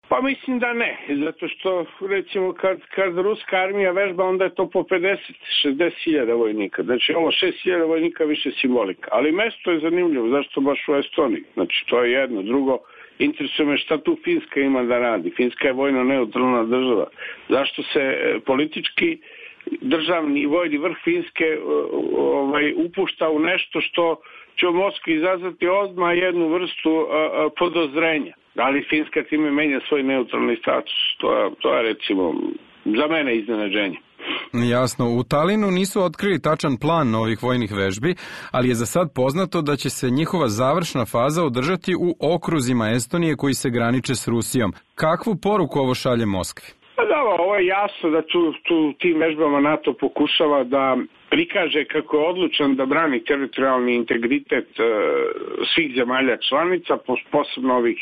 Pa mislim da ne, zato što recimo kad ruska armija vežba, onda je to po 50-60 vojnika. Znači ovo 6.000 vojnika više simbolika. Ali mesto je zanimljivo, zašto baš u Estoniji? Znači to je jedno. Drugo, interesuje me šta tu Finska ima da radi. Finska je vojno neutralna država. Zašto se politički državni i vojni vrh Finske upušta u nešto što će u Moskvi izazvati odmah jednu vrstu podozrenja. Da li Finska time menja svoj neutralni status? To je recimo za mene iznenađenje. Jasno, u Talinu nisu otkrili tačan plan novih vojnih vežbi, ali je za sad poznato da će se njihova završna faza održati u okruzima Estonije koji se graniče s Rusijom. Kakvu poruku ovo šalje Moskvi? Pa da, ovo je jasno da tim vežbama NATO pokušava da prikaže kako je odlučan da brani teritorijalni integritet svih zemalja članica, posebno ovih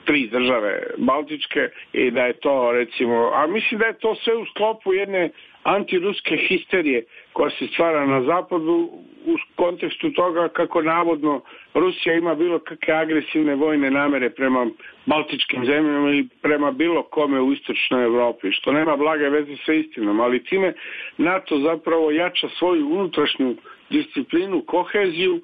3 države Baltičke, i da je to recimo, a mislim da je to sve u sklopu jedne antiruske histerije koja se stvara na zapadu u kontekstu toga kako navodno Rusija ima bilo kakve agresivne vojne namere prema baltičkim zemljama ili prema bilo kome u istočnoj Evropi, što nema blage veze sa istinom, ali time NATO zapravo jača svoju unutrašnju disciplinu, koheziju.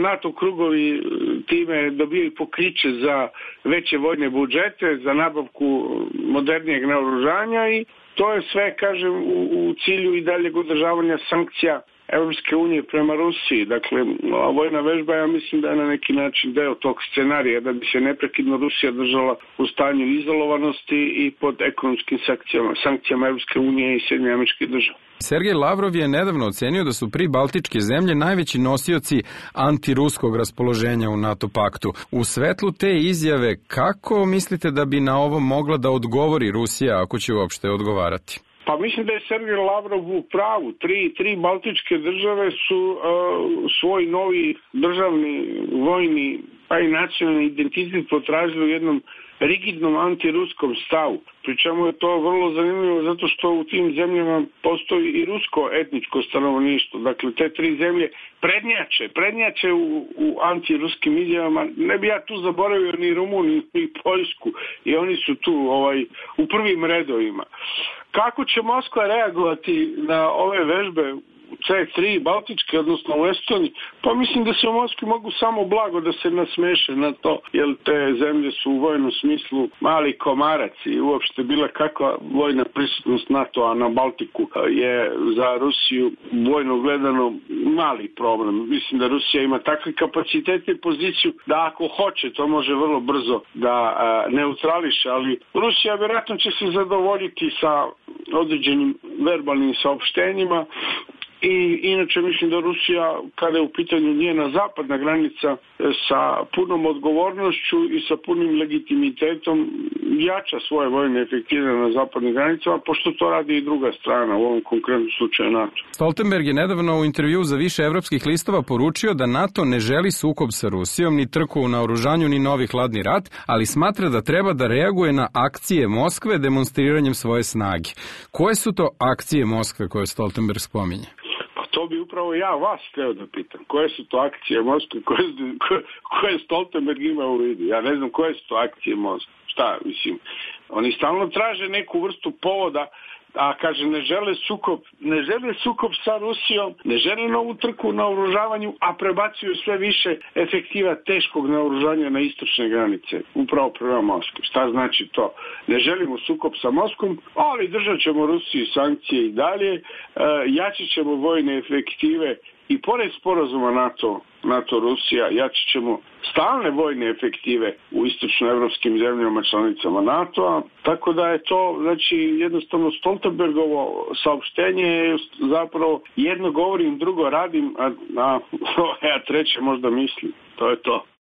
NATO krugovi time dobijaju pokriće za veće vojne budžete, za nabavku modernijeg naoružanja i to je sve, kažem, u cilju i daljeg održavanja sankcija Evropske unije prema Rusiji. Dakle, ova vojna vežba, ja mislim da je na neki način deo tog scenarija, da bi se neprekidno Rusija držala u stanju izolovanosti i pod ekonomskim sankcijama Evropske unije i Sjedinjenih Američkih Država. Sergej Lavrov je nedavno ocenio da su pribaltičke zemlje najveći nosioci antiruskog raspoloženja u NATO paktu. U svetlu te izjave, kako mislite da bi na ovo mogla da odgovori Rusija, ako će uopšte odgovarati? Pa mislim da je Sergej Lavrov u pravu. Tri baltičke države su svoj novi državni, vojni pa i nacionalni identitet potražili u jednom rigidnom antiruskom stavu. Pri čemu je to vrlo zanimljivo zato što u tim zemljama postoji i rusko etničko stanovništvo. Dakle, te 3 zemlje prednjače u antiruskim izjavama. Ne bi ja tu zaboravio ni Rumuniju ni Poljsku i oni su tu u prvim redovima. Kako će Moskva reagovati na ove vežbe C3 Baltičke, odnosno u Estoniji? Pa mislim da se u Moskvi mogu samo blago da se nasmeše na to, jer te zemlje su u vojnom smislu mali komarac i uopšte bila kakva vojna prisutnost NATO-a na Baltiku je za Rusiju vojno gledano mali problem. Mislim da Rusija ima takve kapacitete i poziciju da ako hoće to može vrlo brzo da neutrališe, ali Rusija vjerojatno će se zadovoljiti sa određenim verbalnim saopštenjima. I inače mislim da Rusija, kada je u pitanju njena zapadna granica, sa punom odgovornošću i sa punim legitimitetom jača svoje vojne efektive na zapadnim granicama, pošto to radi i druga strana, u ovom konkretnom slučaju NATO. Stoltenberg je nedavno u intervju za više evropskih listova poručio da NATO ne želi sukob sa Rusijom, ni trku u naoružanju, ni novi hladni rat, ali smatra da treba da reaguje na akcije Moskve demonstriranjem svoje snage. Koje su to akcije Moskve koje Stoltenberg spominje? To bi upravo ja vas hteo da pitam. Koje su to akcije Moskve, koje Stoltenberg ima u vidu? Ja ne znam koje su to akcije Moskve. Šta, mislim, oni stalno traže neku vrstu povoda, a kaže ne žele sukob sa Rusijom, ne žele novu trku na naoružavanju, a prebacuju sve više efektiva teškog naoružanja na istočne granice, upravo prema Moskvi. Šta znači to? Ne želimo sukob sa Moskvom, ali držat ćemo Rusiji sankcije i dalje, jačit ćemo vojne efektive i pored sporazuma NATO-Rusija jačit ćemo stalne vojne efektive u istočnoevropskim zemljama članicama NATO-a, tako da je to, znači, jednostavno Stoltenbergovo saopštenje je zapravo jedno govorim, drugo radim, a treće možda mislim. To je to.